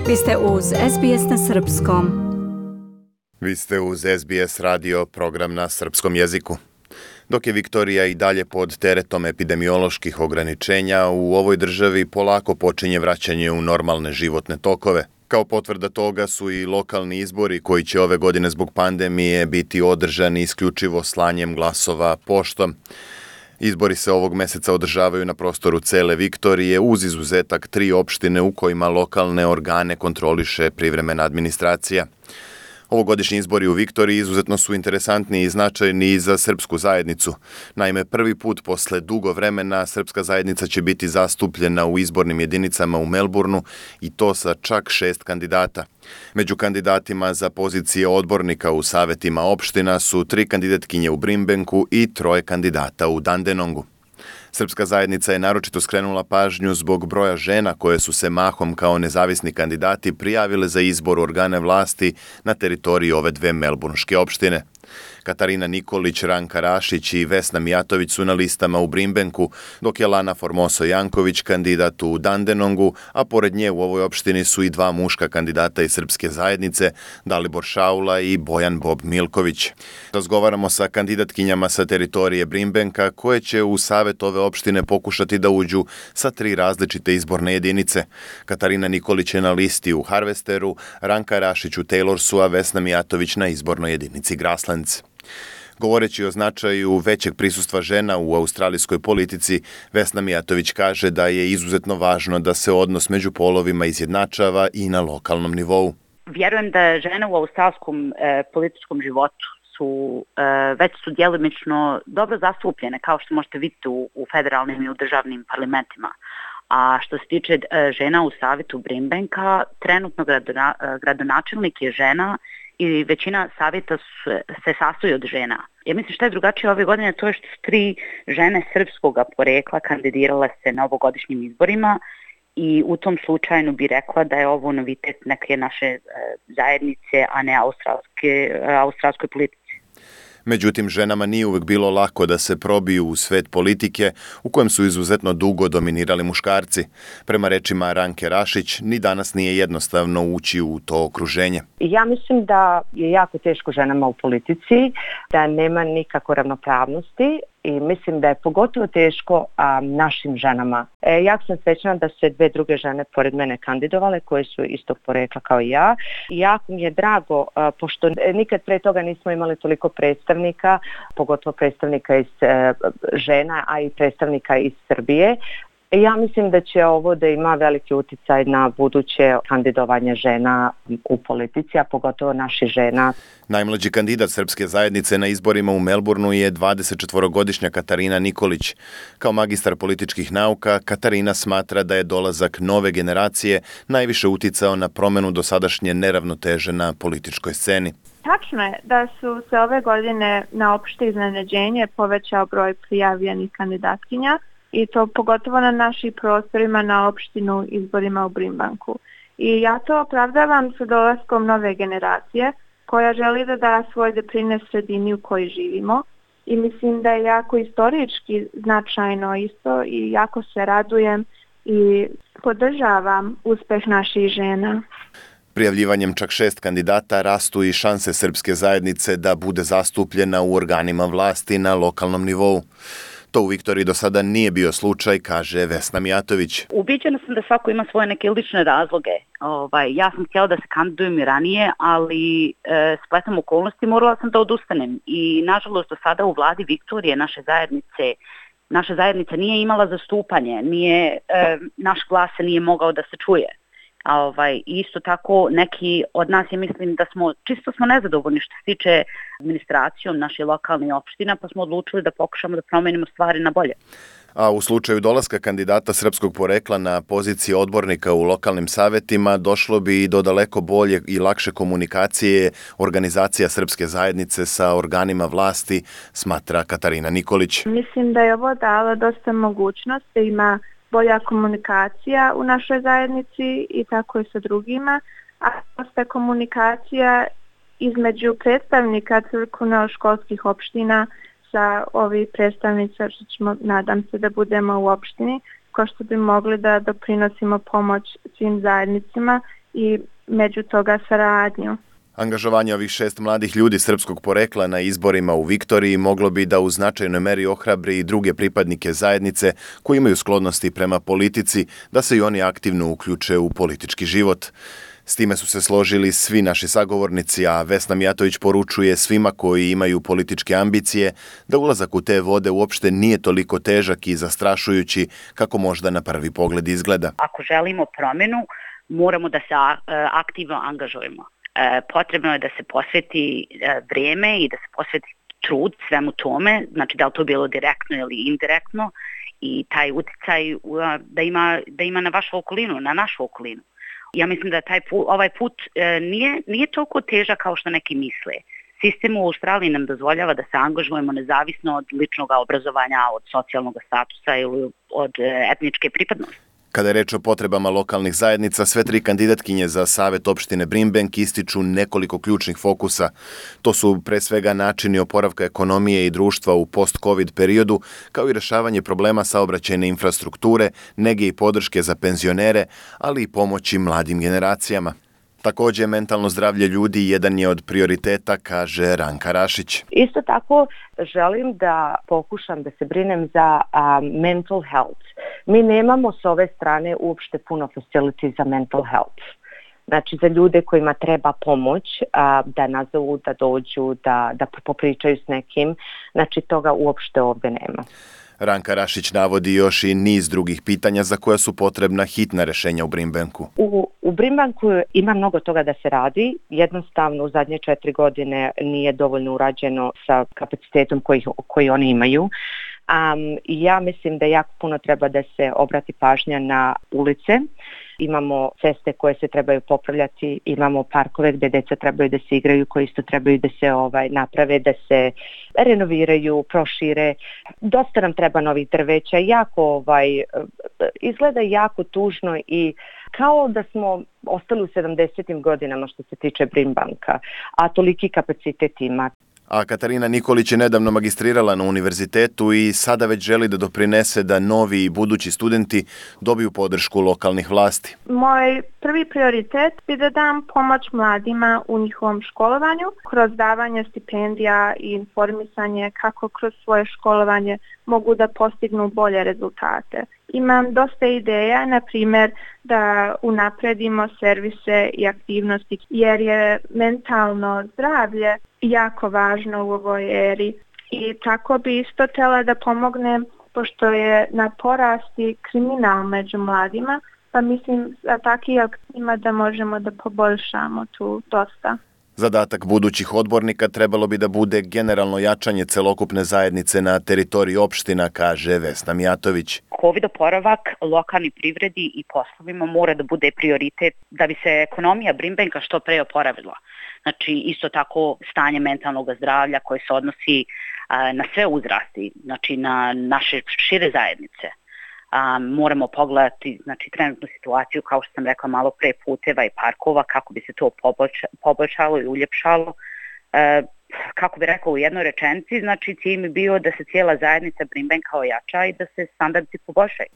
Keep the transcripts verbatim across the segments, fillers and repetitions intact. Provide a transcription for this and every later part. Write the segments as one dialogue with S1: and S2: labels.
S1: Vi ste uz S B S na srpskom.
S2: Vi ste uz S B S radio, program na srpskom jeziku. Dok je Viktorija i dalje pod teretom epidemioloških ograničenja, u ovoj državi polako počinje vraćanje u normalne životne tokove. Kao potvrda toga su i lokalni izbori koji će ove godine zbog pandemije biti održani isključivo slanjem glasova poštom. Izbori se ovog meseca održavaju na prostoru cele Viktorije uz izuzetak tri opštine u kojima lokalne organe kontroliše privremena administracija. Ovogodišnji izbori u Viktoriji izuzetno su interesantni i značajni i za srpsku zajednicu. Naime, prvi put posle dugo vremena srpska zajednica će biti zastupljena u izbornim jedinicama u Melbourneu i to sa čak šest kandidata. Među kandidatima za pozicije odbornika u savetima opština su tri kandidatkinje u Brimbanku i troje kandidata u Dandenongu. Srpska zajednica je naročito skrenula pažnju zbog broja žena koje su se mahom kao nezavisni kandidati prijavile za izbor organe vlasti na teritoriji ove dve melburnške opštine. Katarina Nikolić, Ranka Rašić i Vesna Mijatović su na listama u Brimbanku, dok je Lana Formoso Janković kandidat u Dandenongu, a pored nje u ovoj opštini su i dva muška kandidata iz srpske zajednice, Dalibor Šaula i Bojan Bob Milković. Razgovaramo sa kandidatkinjama sa teritorije Brimbanka koje će u savet ove opštine pokušati da uđu sa tri različite izborne jedinice. Katarina Nikolić je na listi u Harvesteru, Ranka Rašić u Taylorsu, a Vesna Mijatović na izbornoj jedinici Grasslands. Govoreći o značaju većeg prisustva žena u australijskoj politici, Vesna Mijatović kaže da je izuzetno važno da se odnos među polovima izjednačava i na lokalnom nivou.
S3: Vjerujem da žene u australskom e, političkom životu su e, već su djelimično dobro zastupljene, kao što možete vidjeti u, u federalnim i u državnim parlamentima. A što se tiče e, žena u savjetu Brimbanka, trenutno gradona, gradonačelnik je žena i većina savjeta se sastoji od žena. Ja mislim što je drugačije ove godine, to je što su tri žene srpskog porekla kandidirale se na ovogodišnjim izborima i u tom slučaju bi rekla da je ovo novitet neke naše zajednice, a ne australske, australskoj politici.
S2: Međutim, ženama nije uvek bilo lako da se probiju u svet politike u kojem su izuzetno dugo dominirali muškarci. Prema rečima Ranke Rašić, ni danas nije jednostavno ući u to okruženje.
S4: Ja mislim da je jako teško ženama u politici, da nema nikako ravnopravnosti i mislim da je pogotovo teško a, našim ženama. E, ja sam srećna da se dve druge žene pored mene kandidovale koje su istog porekla kao i ja. I jako mi je drago, a, pošto nikad pre toga nismo imali toliko predstavnika, pogotovo predstavnika iz a, žena, a i predstavnika iz Srbije. Ja mislim da će ovo da ima veliki uticaj na buduće kandidovanje žena u politici, a pogotovo naših žena.
S2: Najmlađi kandidat srpske zajednice na izborima u Melbourneu je dvadesetčetvorogodišnja Katarina Nikolić. Kao magistar političkih nauka, Katarina smatra da je dolazak nove generacije najviše uticao na promenu dosadašnje neravnoteže na političkoj sceni.
S5: Tačno je da su se ove godine na opšte iznenađenje povećao broj prijavljenih kandidatkinja, i to pogotovo na našim prostorima na opštinu izborima u Brimbanku. I ja to opravdavam sa dolaskom nove generacije koja želi da da svoj doprinos sredini u kojoj živimo i mislim da je jako istorički značajno isto i jako se radujem i podržavam uspeh naših žena.
S2: Prijavljivanjem čak šest kandidata rastu i šanse srpske zajednice da bude zastupljena u organima vlasti na lokalnom nivou. To u Viktoriji do sada nije bio slučaj, kaže Vesna Mijatović.
S3: Ubiđena sam da svako ima svoje neke lične razloge. Ovaj, ja sam htjela da se kandidujem i ranije, ali e, spletom okolnosti morala sam da odustanem. I nažalost do sada u vladi Viktorije naše zajednice, naša zajednica nije imala zastupanje, nije, e, naš glas se nije mogao da se čuje. A ovaj, isto tako neki od nas, ja mislim da smo, čisto smo nezadovoljni što se tiče administracijom naših lokalnih opština, pa smo odlučili da pokušamo da promenimo stvari na bolje.
S2: A u slučaju dolaska kandidata srpskog porekla na poziciji odbornika u lokalnim savetima došlo bi i do daleko bolje i lakše komunikacije organizacija srpske zajednice sa organima vlasti, smatra Katarina Nikolić.
S5: Mislim da je ovo dalo dosta mogućnost da ima bolja komunikacija u našoj zajednici i tako i sa drugima, a dosta komunikacija između predstavnika crkveno-školskih opština sa ovih predstavnica, što ćemo, nadam se da budemo u opštini, ko što bi mogli da doprinosimo pomoć svim zajednicima i među toga saradnju.
S2: Angažovanje ovih šest mladih ljudi srpskog porekla na izborima u Viktoriji moglo bi da u značajnoj meri ohrabri i druge pripadnike zajednice koji imaju sklonnosti prema politici da se i oni aktivno uključe u politički život. S time su se složili svi naši sagovornici, a Vesna Mijatović poručuje svima koji imaju političke ambicije da ulazak u te vode uopšte nije toliko težak i zastrašujući kako možda na prvi pogled izgleda.
S3: Ako želimo promjenu, moramo da se aktivno angažujemo. Potrebno je da se posveti vrijeme i da se posveti trud svemu tome, znači da li to bilo direktno ili indirektno, i taj uticaj da ima, da ima na vašu okolinu, na našu okolinu. Ja mislim da taj put, ovaj put nije, nije toliko težak kao što neki misle. Sistem u Australiji nam dozvoljava da se angažujemo nezavisno od ličnog obrazovanja, od socijalnog statusa ili od etničke pripadnosti.
S2: Kada je reč o potrebama lokalnih zajednica, sve tri kandidatkinje za Savet opštine Brimbank ističu nekoliko ključnih fokusa. To su pre svega načini oporavka ekonomije i društva u post-covid periodu, kao i rešavanje problema saobraćajne infrastrukture, nege i podrške za penzionere, ali i pomoći mladim generacijama. Također, mentalno zdravlje ljudi jedan je od prioriteta, kaže Ranka Rašić.
S4: Isto tako želim da pokušam da se brinem za um, mental health. Mi nemamo s ove strane uopšte puno facility za mental health. Znači za ljude kojima treba pomoć, a, da nazovu, da dođu, da, da popričaju s nekim. Znači toga uopšte ovdje nema.
S2: Ranka Rašić navodi još i niz drugih pitanja za koja su potrebna hitna rešenja u Brimbanku.
S4: U, u Brimbanku ima mnogo toga da se radi. Jednostavno u zadnje četiri godine nije dovoljno urađeno sa kapacitetom koji, koji oni imaju. Um, ja mislim da jako puno treba da se obrati pažnja na ulice. Imamo ceste koje se trebaju popravljati, imamo parkove gdje deca trebaju da se igraju, koji isto trebaju da se ovaj naprave, da se renoviraju, prošire. Dosta nam treba novih drveća, jako ovaj izgleda jako tužno i kao da smo ostali u sedamdesetim godinama što se tiče Brimbanka, a toliki kapacitet ima.
S2: A Katarina Nikolić je nedavno magistrirala na univerzitetu i sada već želi da doprinese da novi i budući studenti dobiju podršku lokalnih vlasti.
S5: Moj prvi prioritet bi da dam pomoć mladima u njihovom školovanju, kroz davanje stipendija i informisanje kako kroz svoje školovanje mogu da postignu bolje rezultate. Imam dosta ideja, na primjer da unapredimo servise i aktivnosti, jer je mentalno zdravlje jako važno u ovoj eri. I tako bi isto htjela da pomognem, pošto je na porasti kriminal među mladima, pa mislim da takvim aktivima da možemo da poboljšamo tu dosta.
S2: Zadatak budućih odbornika trebalo bi da bude generalno jačanje celokupne zajednice na teritoriji opština, kaže Vesna Mijatović.
S3: Covid oporavak lokalni privredi i poslovima mora da bude prioritet da bi se ekonomija Brimbanka što pre oporavila. Znači isto tako stanje mentalnog zdravlja koje se odnosi a, na sve uzrasti, znači na naše šire zajednice. A, moramo pogledati znači, trenutnu situaciju, kao što sam rekla malo pre, puteva i parkova, kako bi se to poboljša, poboljšalo i uljepšalo. E, kako bi rekao u jednoj rečenici, znači cilj mi bio da se cijela zajednica Brimbanka ojača i da se standardi poboljšaju.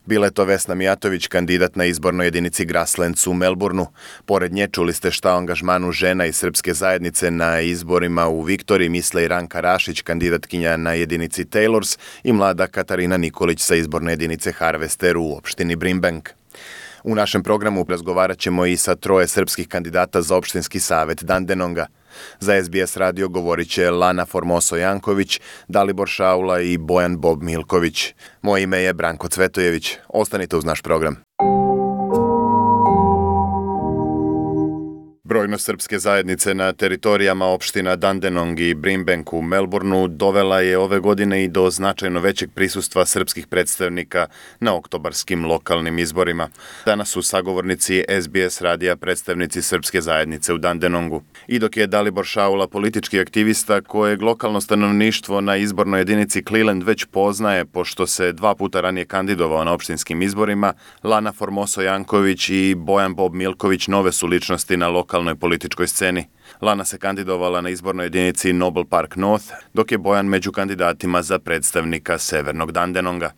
S2: Bila je to Vesna Mijatović, kandidat na izbornoj jedinici Grasslands u Melbourneu. Pored nje čuli ste šta o angažmanu žena iz srpske zajednice na izborima u Viktoriji misle i Ranka Rašić, kandidatkinja na jedinici Taylors, i mlada Katarina Nikolić sa izborne jedinice Harvester u opštini Brimbank. U našem programu razgovarat ćemo i sa troje srpskih kandidata za opštinski savet Dandenonga. Za S B S radio govorit će Lana Formoso-Janković, Dalibor Šaula i Bojan Bob Milković. Moje ime je Branko Cvetojević. Ostanite uz naš program. Brojnost srpske zajednice na teritorijama opština Dandenong i Brimbank u Melbourneu dovela je ove godine i do značajno većeg prisustva srpskih predstavnika na oktobarskim lokalnim izborima. Danas su sagovornici S B S radija predstavnici srpske zajednice u Dandenongu. I dok je Dalibor Šaula politički aktivista kojeg lokalno stanovništvo na izbornoj jedinici Cleland već poznaje pošto se dva puta ranije kandidovao na opštinskim izborima, Lana Formoso-Janković i Bojan Bob Milković nove su ličnosti na lokalnoj političkoj sceni. Lana se kandidovala na izbornoj jedinici Noble Park North, dok je Bojan među kandidatima za predstavnika Severnog Dandenonga.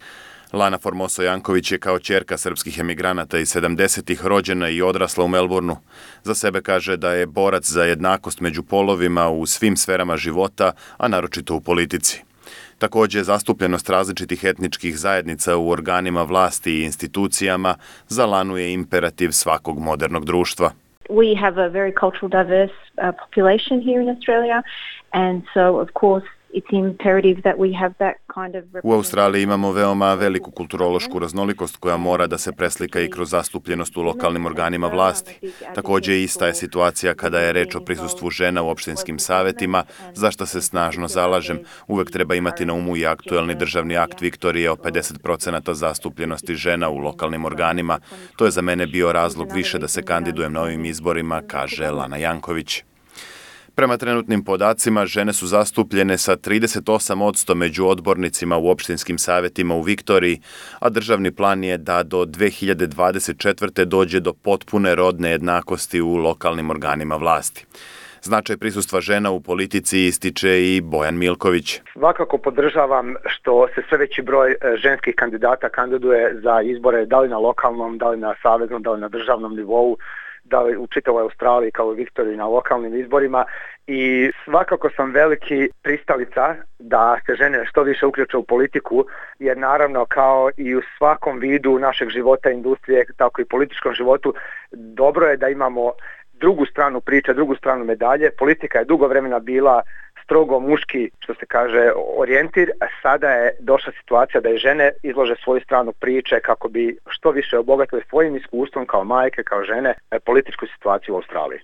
S2: Lana Formoso Janković je kao ćerka srpskih emigranata iz sedamdesetih rođena i odrasla u Melbourneu. Za sebe kaže da je borac za jednakost među polovima u svim sferama života, a naročito u politici. Također, zastupljenost različitih etničkih zajednica u organima vlasti i institucijama za Lanu je imperativ svakog modernog društva.
S5: We have a very cultural diverse uh, population here in Australia, and so of course it's imperative that we have that kind of...
S2: U Australiji imamo veoma veliku kulturološku raznolikost koja mora da se preslika i kroz zastupljenost u lokalnim organima vlasti. Također ista je situacija kada je reč o prisustvu žena u opštinskim savetima, za što se snažno zalažem. Uvek treba imati na umu i aktuelni državni akt Viktorije o pedeset procenata zastupljenosti žena u lokalnim organima. To je za mene bio razlog više da se kandidujem na ovim izborima, kaže Lana Janković. Prema trenutnim podacima, žene su zastupljene sa trideset osam posto među odbornicima u opštinskim savetima u Viktoriji, a državni plan je da do dve hiljade dvadeset četvrte dođe do potpune rodne jednakosti u lokalnim organima vlasti. Značaj prisustva žena u politici ističe i Bojan Milković.
S6: Svakako podržavam što se sve veći broj ženskih kandidata kandiduje za izbore, da li na lokalnom, da li na saveznom, da li na državnom nivou, da li u čitavoj Australiji kao i Viktoriji na lokalnim izborima, i svakako sam veliki pristalica da se žene što više uključe u politiku, jer naravno kao i u svakom vidu našeg života, industrije, tako i političkom životu, dobro je da imamo drugu stranu priče, drugu stranu medalje. Politika je dugo vremena bila strogo muški, što se kaže, orijentir, a sada je došla situacija da i žene izlože svoju stranu priče kako bi što više obogatile svojim iskustvom kao majke, kao žene, političku situaciju u Australiji.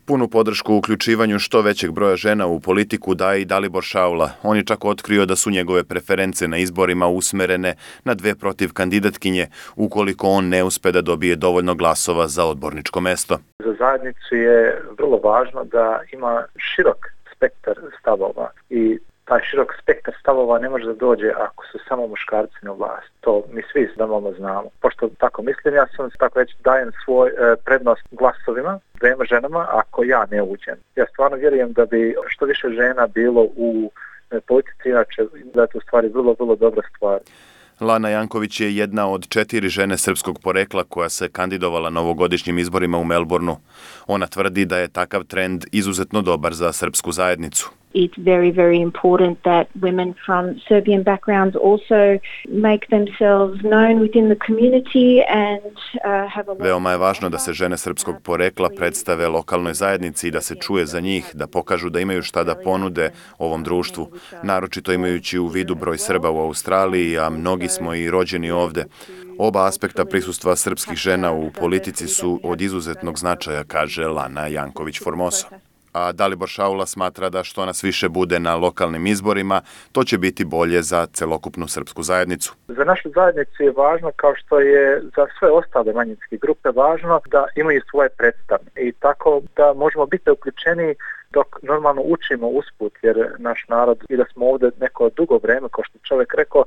S2: Punu podršku u uključivanju što većeg broja žena u politiku daje i Dalibor Šaula. On je čak otkrio da su njegove preference na izborima usmerene na dve protiv kandidatkinje, ukoliko on ne uspe da dobije dovoljno glasova za odborničko mesto.
S7: Za zajednicu je vrlo važno da ima širok spektar stavova i taj širok spektar stavova ne može da dođe ako su samo muškarci na vlast. To mi svi normalno znamo. Pošto tako mislim, ja sam tako reći dajem svoj e, prednost glasovima dvema ženama ako ja ne uđem. Ja stvarno vjerujem da bi što više žena bilo u e, politici, inače da je to u stvari vrlo, vrlo dobra stvar.
S2: Lana Janković je jedna od četiri žene srpskog porekla koja se kandidovala na ovogodišnjim izborima u Melbourneu. Ona tvrdi da je takav trend izuzetno dobar za srpsku zajednicu.
S5: It's very, very important that women from Serbian backgrounds also make themselves known within the community and uh, have a...
S2: Veoma je važno da se žene srpskog porekla predstave lokalnoj zajednici i da se čuje za njih, da pokažu da imaju šta da ponude ovom društvu, naročito imajući u vidu broj Srba u Australiji, a mnogi smo i rođeni ovde. Oba aspekta prisustva srpskih žena u politici su od izuzetnog značaja, kaže Lana Janković Formoso. A Dalibor Šaula smatra da što nas više bude na lokalnim izborima, to će biti bolje za celokupnu srpsku zajednicu.
S7: Za našu zajednicu je važno, kao što je za sve ostale manjinske grupe važno, da imaju svoje predstavnike i tako da možemo biti uključeni dok normalno učimo usput, jer naš narod, i da smo ovdje neko dugo vreme, kao što čovjek rekao,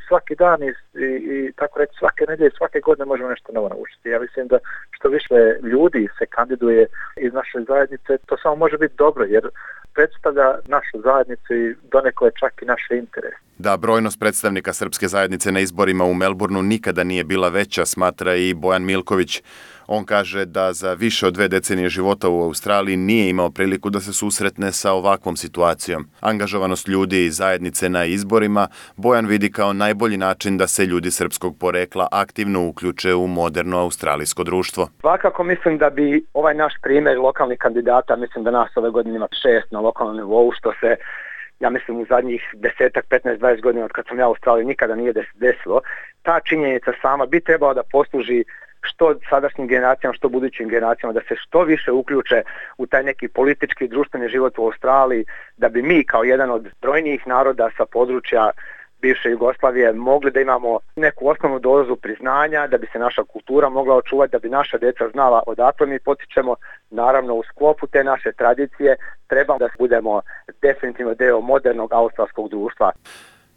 S7: svaki dan i, i, i tako reći svake nedelje, svake godine možemo nešto novo naučiti. Ja mislim da što više ljudi se kandiduje iz naše zajednice, to samo može biti dobro, jer predstavlja našu zajednicu i donekle čak i naše interese.
S2: Da brojnost predstavnika srpske zajednice na izborima u Melbourneu nikada nije bila veća, smatra i Bojan Milković. On kaže da za više od dve decenije života u Australiji nije imao priliku da se susretne sa ovakvom situacijom. Angažovanost ljudi i zajednice na izborima Bojan vidi kao najbolji način da se ljudi srpskog porekla aktivno uključe u moderno australijsko društvo.
S6: Svakako mislim da bi ovaj naš primjer lokalnih kandidata, mislim da nas ove godine ima šest na lokalnom nivou, što se, ja mislim, u zadnjih desetak, petnaest, dvadeset godina od kad sam ja u Australiji nikada nije desilo. Ta činjenica sama bi trebala da posluži što sadašnjim generacijama, što budućim generacijama, da se što više uključe u taj neki politički i društveni život u Australiji, da bi mi kao jedan od brojnijih naroda sa područja bivše Jugoslavije mogli da imamo neku osnovnu dozu priznanja, da bi se naša kultura mogla očuvati, da bi naša djeca znala odakle mi potičemo. Naravno, u sklopu te naše tradicije treba da budemo definitivno deo modernog australskog društva.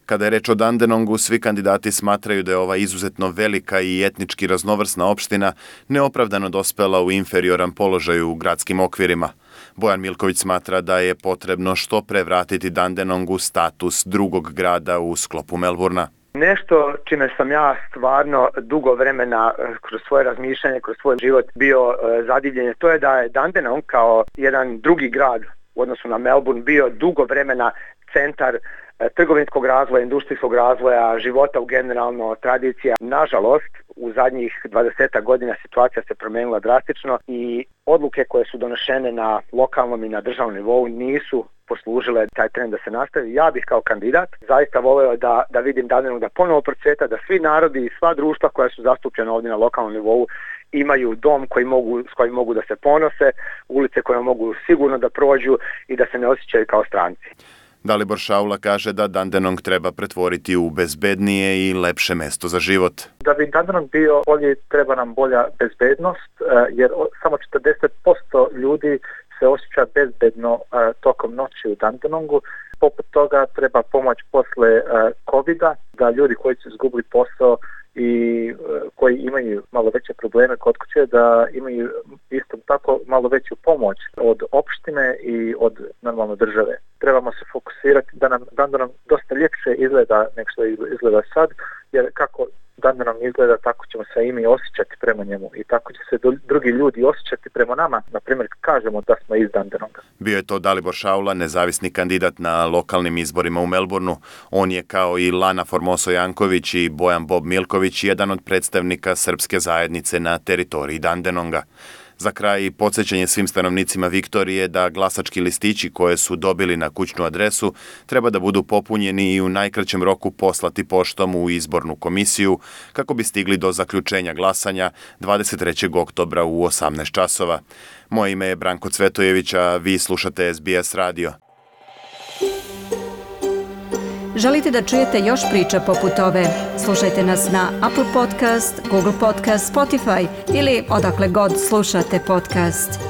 S2: Kada je reč o Dandenongu, svi kandidati smatraju da je ova izuzetno velika i etnički raznovrsna opština neopravdano dospela u inferioran položaj u gradskim okvirima. Bojan Milković smatra da je potrebno što pre vratiti Dandenongu status drugog grada u sklopu Melbournea.
S6: Nešto čime sam ja stvarno dugo vremena kroz svoje razmišljanje, kroz svoj život bio zadivljen, to je da je Dandenong kao jedan drugi grad u odnosu na Melbourne bio dugo vremena centar trgovinskog razvoja, industrijskog razvoja, života u generalno, tradicija. Nažalost, u zadnjih dvadeset godina situacija se promijenila drastično i odluke koje su donošene na lokalnom i na državnom nivou nisu poslužile taj trend da se nastavi. Ja bih kao kandidat zaista voleo da, da vidim Dandenong da ponovo procveta, da svi narodi i sva društva koja su zastupljena ovdje na lokalnom nivou imaju dom koji mogu, s kojim mogu da se ponose, ulice koje mogu sigurno da prođu i da se ne osjećaju kao stranci.
S2: Dalibor Šaula kaže da Dandenong treba pretvoriti u bezbednije i lepše mesto za život.
S7: Da bi Dandenong bio bolji, treba nam bolja bezbednost, jer samo četrdeset posto ljudi se osjeća bezbedno tokom noći u Dandenongu. Poput toga treba pomoć posle covida, da ljudi koji su izgubili posao i koji imaju malo veće probleme kod kuće, da imaju isto tako malo veću pomoć od opštine i od normalno države. Trebamo se fokusirati da nam Dandenong dosta ljepše izgleda nego što izgleda sad, jer kako Dandenong izgleda, tako ćemo se i mi osjećati prema njemu i tako će se drugi ljudi osjećati prema nama, na primjer kažemo da smo iz Dandenonga.
S2: Bio je to Dalibor Šaula, nezavisni kandidat na lokalnim izborima u Melbourneu. On je kao i Lana Formoso Janković i Bojan Bob Milković jedan od predstavnika srpske zajednice na teritoriji Dandenonga. Za kraj, podsjećanje svim stanovnicima Viktorije da glasački listići koje su dobili na kućnu adresu treba da budu popunjeni i u najkraćem roku poslati poštom u izbornu komisiju kako bi stigli do zaključenja glasanja dvadeset trećeg oktobra u osamnaest časova. Moje ime je Branko Cvetojević, a vi slušate S B S radio.
S1: Želite da čujete još priča poput ove? Slušajte nas na Apple Podcast, Google Podcast, Spotify ili odakle god slušate podcast.